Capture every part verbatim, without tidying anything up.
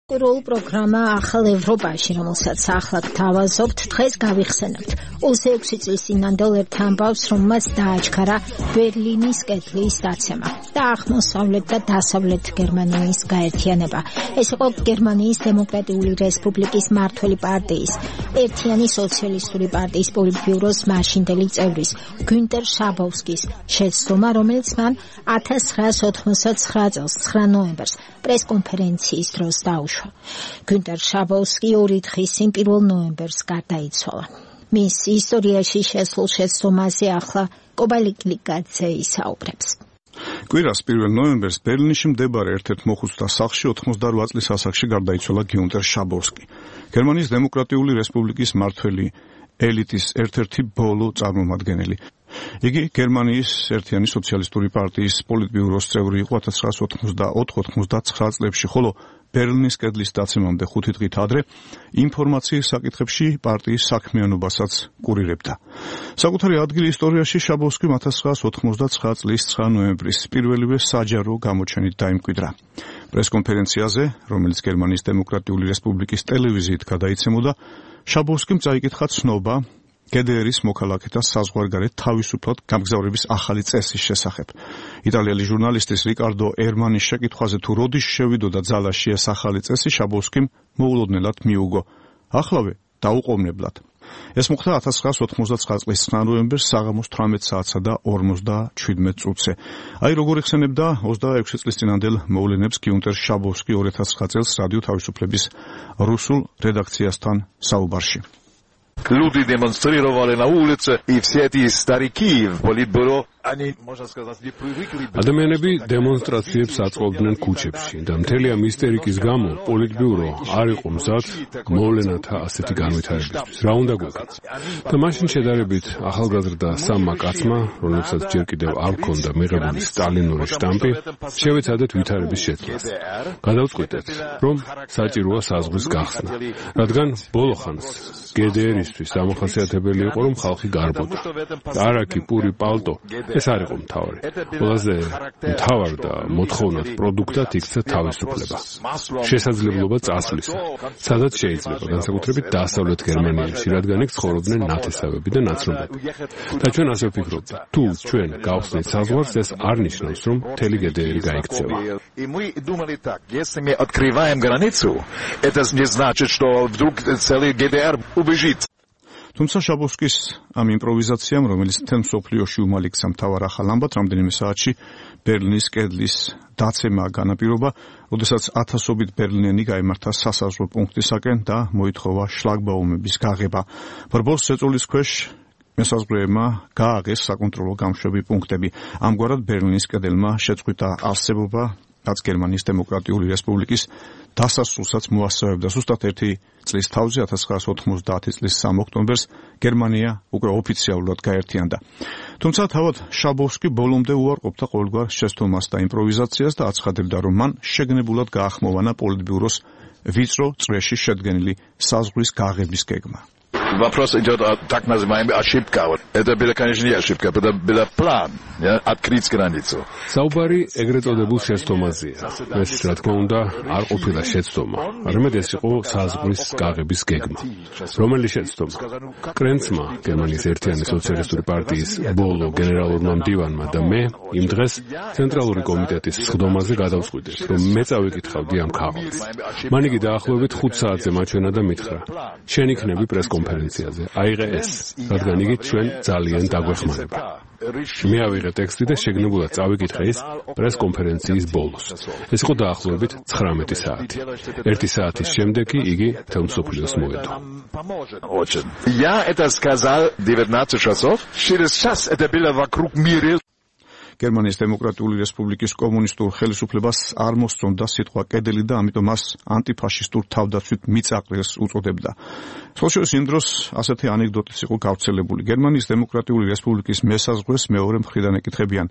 Rol პროგრამა ახალ ევროპაში, რომელსაც ახლა გთავაზობთ, დღეს გავიხსენებთ. ოცი წლის წინანდელ ერთ ამბავს, რომელმაც დააჩქარა ბერლინის კედლის დაცემა და აღმოსავლეთ და დასავლეთ გერმანიის გაერთიანება. ეს იყო გერმანიის დემოკრატიული რესპუბლიკის მმართველი პარტიის, ერთიანი სოციალისტური პარტიის პოლიტბიუროს მაშინდელი წევრის, გუნტერ შაბოვსკის შეცდომა, რომელიც მან ათას ცხრაას ოთხმოცდათცხრა წელს ცხრა ნოემბერს პრესკონფერენციის დროს დაუშვა. გუნტერ შაბოვსკი ორი დღის წინ პირველ ნოემბერს გარდაიცვალა. მის ისტორიაში შესულ შეცდომაზე ახლა კობალიკლიკაძე ისაუბრებს. კვირას პირველ ნოემბერს ბერლინში მდებარე ერთ-ერთ მოხუცთა სახლში ოთხმოცდარვა წლის ასაკში გარდაიცვალა გუნტერ შაბოვსკი. გერმანიის დემოკრატიული რესპუბლიკის მმართველი ელიტის ერთ-ერთი ბოლო წარმომადგენელი. იგი გერმანიის ერთიანი სოციალისტური პარტიის პოლიტბიუროს წევრი იყო ათას ცხრაას ოთხმოცდაოთხ ოცდაათცხრა წლებში, ხოლო ბერლინის კედლის დაცემამდე ხუთი დღით ადრე ინფორმაციის საკითხებში პარტიის საქმიანობასაც კურირებდა. საკუთარი ადგილი ისტორიაში შაბოვსკიმ ათას ცხრაას ოთხმოცდაცხრა წლის ცხრა ნოემბრის პირველივე საჯარო გამოჩენით დაიმკვიდრა. პრესკონფერენციაზე, რომელიც გერმანიის დემოკრატიული რესპუბლიკის ტელევიზიით გადაიცემოდა, შაბოვსკიმ წაიკითხა ცნობა გე დე ერის მოქალაქეთა საზღვარგარეთ თავისუფლად გამგზავრების ახალი წესის შესახებ. იტალიელი ჟურნალისტის რიკარდო ერმანის შეკითხვაზე თუ როდის შევიდოდა ძალაში ეს ახალი წესი, შაბოვსკიმ მოულოდნელად მიუგო. ახლავე დაუყოვნებლად. ეს მოხდა ათას ცხრაას ოთხმოცდაცხრა წლის ცხრა ნოემბერს საღამოს თვრამეტ საათსა და ორმოცდაჩვიდმეტ წუთზე. აი როგორ იხსენებდა ოცდაექვსი წლის წინანდელ მოვლენებს გუნტერ შაბოვსკი ორი ათას ცხრა წელს რადიო თავისუფლების რუსულ რედაქციასთან საუბარში. Люди демонстрировали на улице, и все эти старики в политбюро, они, можно сказать, не привыкли. ადამიანები დემონსტრაციებს აწყობდნენ ქუჩებში და მთელი ამ ისტერიკის გამო პოლიტბიურო არ იყო მზად მოვლენათა ასეთი განვითარებისთვის. რა უნდა გვეკეთოს? და მაშინ შედარებით ახალგაზრდა სამმა კაცმა, რომლებსაც ჯერ კიდევ არ ჰქონდა მიღებული სტალინური შტამპი, შევეცადეთ ვითარების შეცვლას. გადავწყვიტეთ, რომ საჭიროა საზღვრის გახსნა, რადგან ბოლო ხანს გე დე ერისთვის დამახასიათებელი იყო, რომ ხალხი გარბოდა. არაკი, პური, პალტო ეს არ იყო მთავარი. ყველაზე მთავარ და მოთხოვნად პროდუქტად იქცა თავისუფლება. შესაძლებლობა წასვლისა, სადაც შეიძლება, განსაკუთრებით დასავლეთ გერმანიაში, რადგან იქ ცხოვრობდნენ ნათესავები და ნაცნობები. და ჩვენ ასე ვფიქრობთ, თუ ჩვენ გავხსნით საზღვარს, ეს არ ნიშნავს, რომ მთელი გე დე ერი გაიქცევა. Если мы открываем границу, это не значит, что вдруг целый гэ дэ эр убежит. თუმცა შაბოვსკის ამ იმპროვიზაციამ, რომელიც თემ სოფლიოში უმალიქცა მთავარ ახალ ამბად, რამდენიმე საათში ბერლინის კედლის დაცემა განაპირობა, როდესაც ათასობით ბერლინელი გაემართა სასაზღვრო პუნქტისაკენ და მოითხოვა შლაგბაუმების გაღება. ბრბოს ზეწოლის ქვეშ მესაზღვრეებმა გააღეს საკონტროლო გამშვები პუნქტები. ამგვარად ბერლინის კედელმა შეწყვიტა არსებობა, რაც გერმანიის დემოკრატიული რესპუბლიკის დასასრულსაც მოასწავებდა. ზუსტად ერთი წლის თავზე ათას ცხრაას ოთხმოცდაათი წლის სამი ოქტომბერს გერმანია უკვე ოფიციალურად გაერთიანდა. თუმცა თავად შაბოვსკი ბოლომდე უარყოფდა ყოველგვარ შეცდომას და იმპროვიზაციას და აცხადებდა, რომ მან შეგნებულად გაახმოვანა პოლიტბიუროს ვიწრო წრეში შედგენილი საზღვრის გაღების გეგმა. Вопрос идет о так называемой ошибке. Это была, конечно, не ошибка, это был план, ja, открыть границу. საუბარი ეგრეთ წოდებულ შეცდომაზეა. ეს, რა თქმა უნდა, არ ყოფილა შეცდომა, არამედ ეს იყო საზღვრის გაღების გეგმა. რომელი შეცდომა? კრენცმა, გერმანიის ერთიანი სოციალისტური პარტიის ბოლო გენერალურმა მდივანმა და მე იმ დღეს ცენტრალური კომიტეტის სხდომაზე გადავწყვიტეთ, რომ მე წავიკითხავდი ამ ქაღალდს. მან იგი დაახლოებით ხუთ საათზე მაჩვენა და მითხრა: შენ იქნები პრესკონფერენციაზე, აიღე ეს, რადგან იგი ჩვენ ძალიან დაგვეხმარება. მე ავიღე ტექსტი და შეგნებულად წავიკითხე ის პრესკონფერენციის ბოლოს. ეს იყო დაახლოებით ცხრამეტი საათი. ერთი საათის შემდეგ კი იგი მთელ მსოფლიოს მოედო. Я это сказал девятнадцать часов, через час это было вокруг мира. გერმანიის დემოკრატიული რესპუბლიკის კომუნისტურ ხელისუფლებას არ მოსწონდა სიტყვა კედელი და ამიტომ მას ანტიფაშისტურ თავდაცვით მიწაყრილს უწოდებდა. სოციალისტ იმ დროს ასეთი ანეკდოტიც იყო გავრცელებული. გერმანიის დემოკრატიული რესპუბლიკის მესაზღვრეს მეორე მხრიდან ეკითხებიან: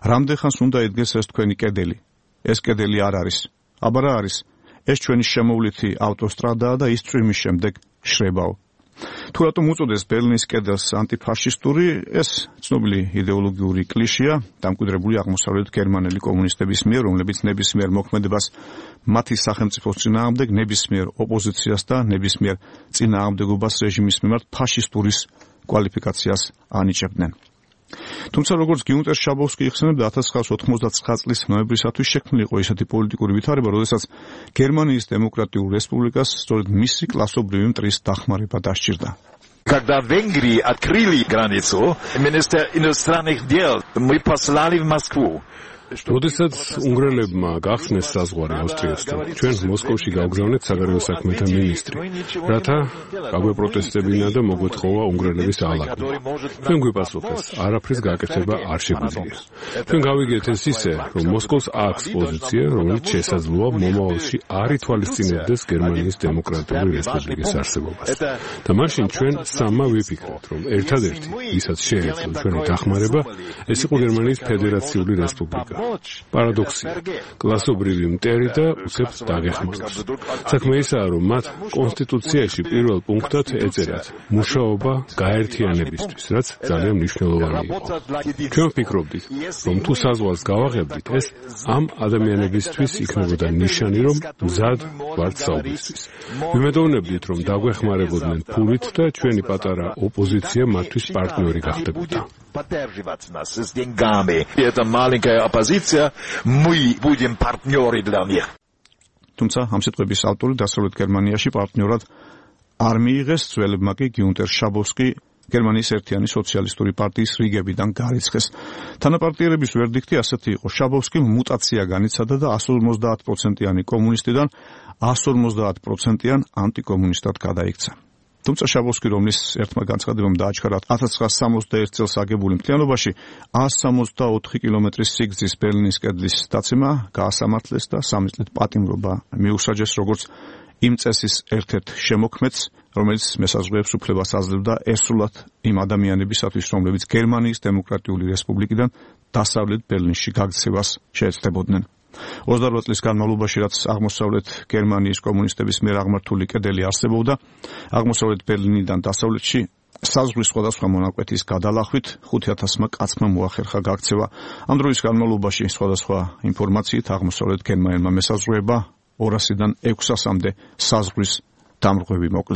რამდენ ხანს უნდა იდგეს ეს თქვენი კედელი? ეს კედელი არ არის. აბა რა არის? ეს ჩვენი შემოვლითი ავტოსტრადაა და ის წვიმის შემდეგ შრებაო. თუ რატომ უწოდეს ბერლინის კედელს ანტიფაშისტური, ეს ცნობილი იდეოლოგიური კლიშეა, დამკვიდრებული აღმოსავლეთ გერმანელი კომუნისტების მიერ, რომლებიც ნებისმიერ მოქმედებას მათი სახელმწიფოს წინააღმდეგ, ნებისმიერ ოპოზიციას და ნებისმიერ წინააღმდეგობას რეჟიმის მიმართ ფაშისტურის კვალიფიკაციას ანიჭებდნენ. თუმცა როგორც გიუნტერ შაბოვსკი იხსენებდა, ათას ცხრაასი ოთხმოცდათცხრა წლის ნოემბრისათვის შექმნილი იყო ისეთი პოლიტიკური ვითარება, როდესაც გერმანიის დემოკრატიულ რესპუბლიკას სწორედ მისი კლასობრივი მტრის დახმარება დასჭირდა. Когда в Венгрии открыли границу, министр иностранных дел, мы послали в Москву. როდესაც უნგრელებმა გახსნეს საზღვარი ავსტრიასთან, ჩვენ მოსკოვში გავგზავნეთ საგარეო საქმეთა მინისტრი, რათა გაგვეპროტესტებინა და მოგვეთხოვა უნგრელების ალაგვა. ჩვენ გვიპასუხეს, არაფრის გაკეთება არ შეგვიძლია. ჩვენ გავიგეთ ეს ისე, რომ მოსკოვს აქვს პოზიცია, რომელიც შესაძლოა მომავალში არ ითვალისწინებდეს გერმანიის დემოკრატიული რესპუბლიკის არსებობას. და მაშინ ჩვენ სამმა ვიფიქრეთ, რომ ერთადერთი, ვისაც შეეძლო ჩვენი დახმარება, ეს იყო გერმანიის ფედერაციული რესპუბლიკა. Paradoxია. კლასობრივი მტერი და უცებ დაგეხმაროს. საქმე ისაა, რომ მათ კონსტიტუციაში პირველ პუნქტად ეწერათ მუშაობა გაერთიანებისთვის, რაც ძალიან მნიშვნელოვანი იყო. ჩვენ ვფიქრობდით, რომ თუ საზღვარს გავაღებდით, ეს ამ ადამიანებისთვის იქნებოდა ნიშანი, რომ მზად ვართ საუბრისთვის. ვიმედოვნებდით, რომ დაგვეხმარებოდნენ ფულით და ჩვენი პატარა ოპოზიცია მათთვის პარტნიორი გახდებოდა. Поддерживать нас с деньгами. Это маленькая оппозиция, мы будем партнеры для них. თუმცა ამ სიტყვების ავტორი დასავლეთ გერმანიაში პარტნიორად არ მიიღეს, ძველებმა კი გიუნტერ შაბოვსკი გერმანიის ერთიანი სოციალისტური პარტიის რიგებიდან გარიცხეს. თანაპარტიერების ვერდიქტი ასეთი იყო: შაბოვსკიმ მუტაცია განიცადა და εκατს ორმოცდაათ პროცენტიანი კომუნისტიდან εκατს ორმოცდაათ პროცენტიან ანტიკომუნისტად გადაიქცა. თუმცა შაბოვსკი, რომლის ერთმა განცხადებამ დააჩქარა ათას ცხრაასი სამოცდაერთი წელს აგებული მთლიანობაში εκατს სამოცდაოთხი კილომეტრის სიგრძის ბერლინის კედლის დაცემა გაასამართლეს და სამი წლით პატიმრობა მიუსაჯეს როგორც იმ წესის ერთ-ერთ შემოქმედს, რომელიც მესაზღვრეებს უფლებას აძლევდა ესრულად იმ ადამიანებისათვის, რომლებიც გერმანიის დემოკრატიული რესპუბლიკიდან დასავლეთ ბერლინში გაქცევას შეეცდებოდნენ. ოცდაორ წლის განმავლობაში, რაც აღმოსავლეთ გერმანიის კომუნისტების მიერ აღმართული კედელი არსებობდა, აღმოსავლეთ ბერლინიდან დასავლეთში საზღვრის სხვადასხვა მონაკვეთის გადალახვით ხუთი ათასმა კაცმა მოახერხა გაქცევა. ამ დროის განმავლობაში სხვადასხვა ინფორმაციით აღმოსავლეთ გერმანელმა მესაზღვრეება ორასიდან ექვსასამდე საზღვრის დამრღვევი მოკლეს.